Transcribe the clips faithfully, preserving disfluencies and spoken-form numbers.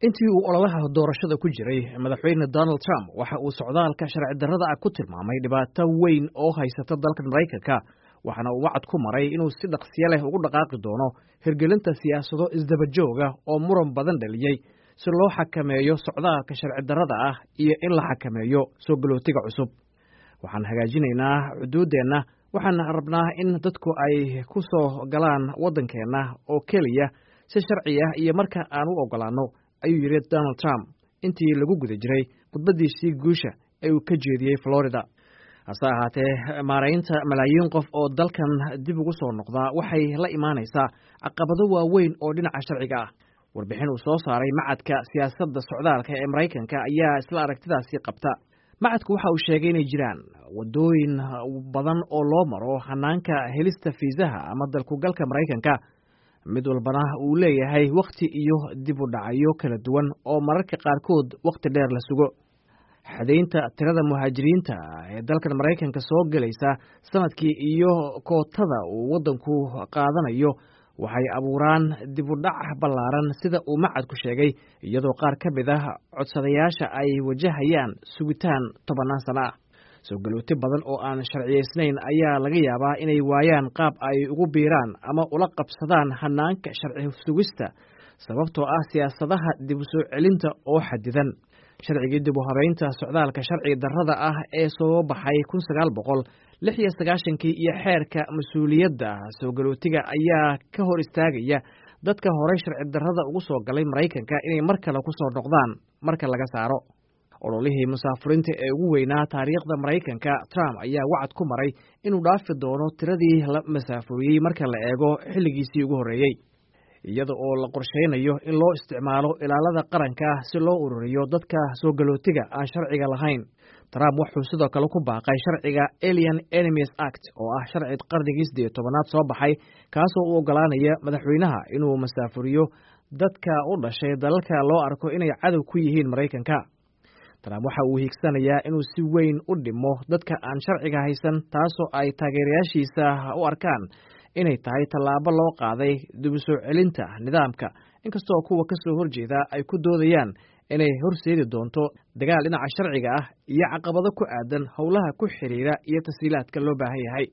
Intii uu ololaha doorashada ku jiray, Madaxweyne Donald Trump waxa uu socdaalka sharci darrada ah ku tilmaamay dhibaato weyn oo haysata dalka Maraykanka, waxaana uu wacad ku maray inuu si dhaqsiyo leh ugu dhaqaaqi doono hirgelinta siyaasado isdaba jooga oo muran badan dhaliyey si loo xakameeyo socdaalka sharci darrada ah iyo in la xakameeyo soo galootiga cusub. "Waxaan hagaajinaynaa xuduuddeenna. Waxaan rabnaa in dadku ay ku soo galaan waddankeenna oo keliya si sharci ah iyo marka aan u oggolaanno," ayuu yidhi Donald Trump intii lagu guda jiray khudbaddiisii guusha ee uu ka jeediyey Florida. Hase ahaatee, maaraynta malaayiin qof oo dalkan dib ugu soo noqdaa waxay la imaanaysaa caqabado waaweyn oo dhinaca sharciga ah. Warbixin uu soo saaray Machadka Siyaasadda Socdaalka ee Maraykanka ayaa isla aragtidaasi qabta. Machadku waxa uu sheegay inay jiraan waddooyin badan oo loo maro hanaanka helista fiisaha ama dalkugalka Maraykanka, mid walbana uu leeyahay wakhti iyo dib u dhacyo kala duwan oo mararka qaarkood wakhti dheer la sugo. Xadaynta tirada muhaajiriinta ee dalkan Maraykanka soo gelaysa sanadkii iyo kootada uu waddanku qaadanayo waxay abuuraan dib u dhac ballaaran, sida uu machadku sheegay, iyadoo qaar ka mid ah codsadayaasha ay wajahayaan sugitaan tobannaan sano ah. Soo galooti badan oo aan sharciyeysnayn ayaa laga yaabaa inay waayaan qaab ay ugu biiraan ama ula qabsadaan hanaanka sharci sugista, sababtoo ah siyaasadaha dib u soo celinta oo xadidan. Sharcigii dib u habeynta socdaalka sharci darrada ah ee soo baxay kun sagaal boqol lix iyo sagaashankii iyo xeerka mas-uuliyadda soo galootiga ayaa ka hor istaagaya dadka horey sharci darrada ugu soo galay Maraykanka inay mar kale ku soo noqdaan marka laga saaro. Ololihii musaafurinta ee ugu weynaa taariikhda Maraykanka, Trump ayaa wacad ku maray inuu dhaafi doono tiradii la masaafuriyey marka la eego xilligiisii ugu horreeyey, iyada oo la qorsheynayo in loo isticmaalo ilaalada qaranka si loo ururiyo dadka soo galootiga aan sharciga lahayn. Trump wuxuu sidoo kale ku baaqay sharciga Alien Enemies Act, oo ah sharci qarnigii siddeed tobanaad soo baxay, kaasoo u ogolaanaya madaxweynaha inuu masaafuriyo dadka u dhashay dalalka loo arko inay cadow ku yihiin Maraykanka. Trump waxa uu hiigsanayaa inuu si weyn u dhimo dadka aan sharciga haysan, taasoo ay taageerayaashiisa u arkaan inay tahay tallaabo loo qaaday dib u soo celinta nidaamka, inkastoo kuwa ka soo horjeeda ay ku doodayaan inay horseedi doonto dagaal dhinaca sharciga ah iyo caqabado ku aadan howlaha ku xiriira iyo tashiilaadka loo baahan yahay.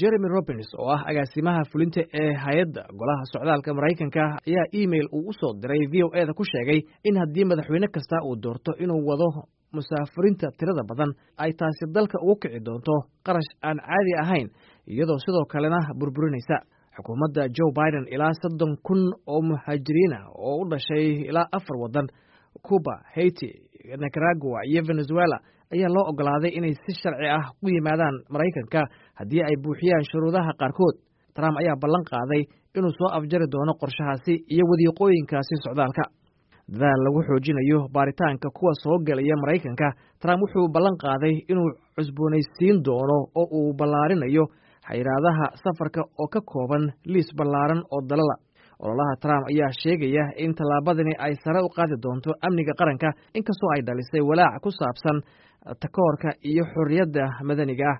Jeremy Robins, oo ah agaasimaha fulinta ee hay-adda Golaha Socdaalka Maraykanka, ayaa email uu u soo diray V O A da ku sheegay in haddii madaxweyne kasta uu doorto inuu wado musaafurinta tirada badan, ay taasi dalka ugu kici doonto qarash aan caadi ahayn, iyadoo sidoo kalena burburinaysa xukuumadda Joe Biden. Ilaa soddon kun oo muhaajiriin ah oo u dhashay ilaa afar waddan, Cuba, Haiti, Nicaragua iyo Venezuela, ayaa loo ogolaaday inay si sharci ah ku yimaadaan Maraykanka haddii ay buuxiyaan shuruudaha qaarkood. Trump ayaa ballan qaaday inuu soo afjari doono qorshahaasi iyo wadiiqooyinkaasi socdaalka. Dadaal lagu xoojinayo baaritaanka kuwa soo gelaya Maraykanka, Trump wuxuu ballan qaaday inuu cusboonaysiin doono oo uu ballaarinayo xayiraadaha safarka oo ka kooban liis ballaaran oo dalala. Ololaha Trump ayaa sheegaya in tallaabadani ay sare u qaadi doonto amniga qaranka, inkastoo ay dhalisay walaac ku saabsan takoorka iyo xorriyadda madaniga ah.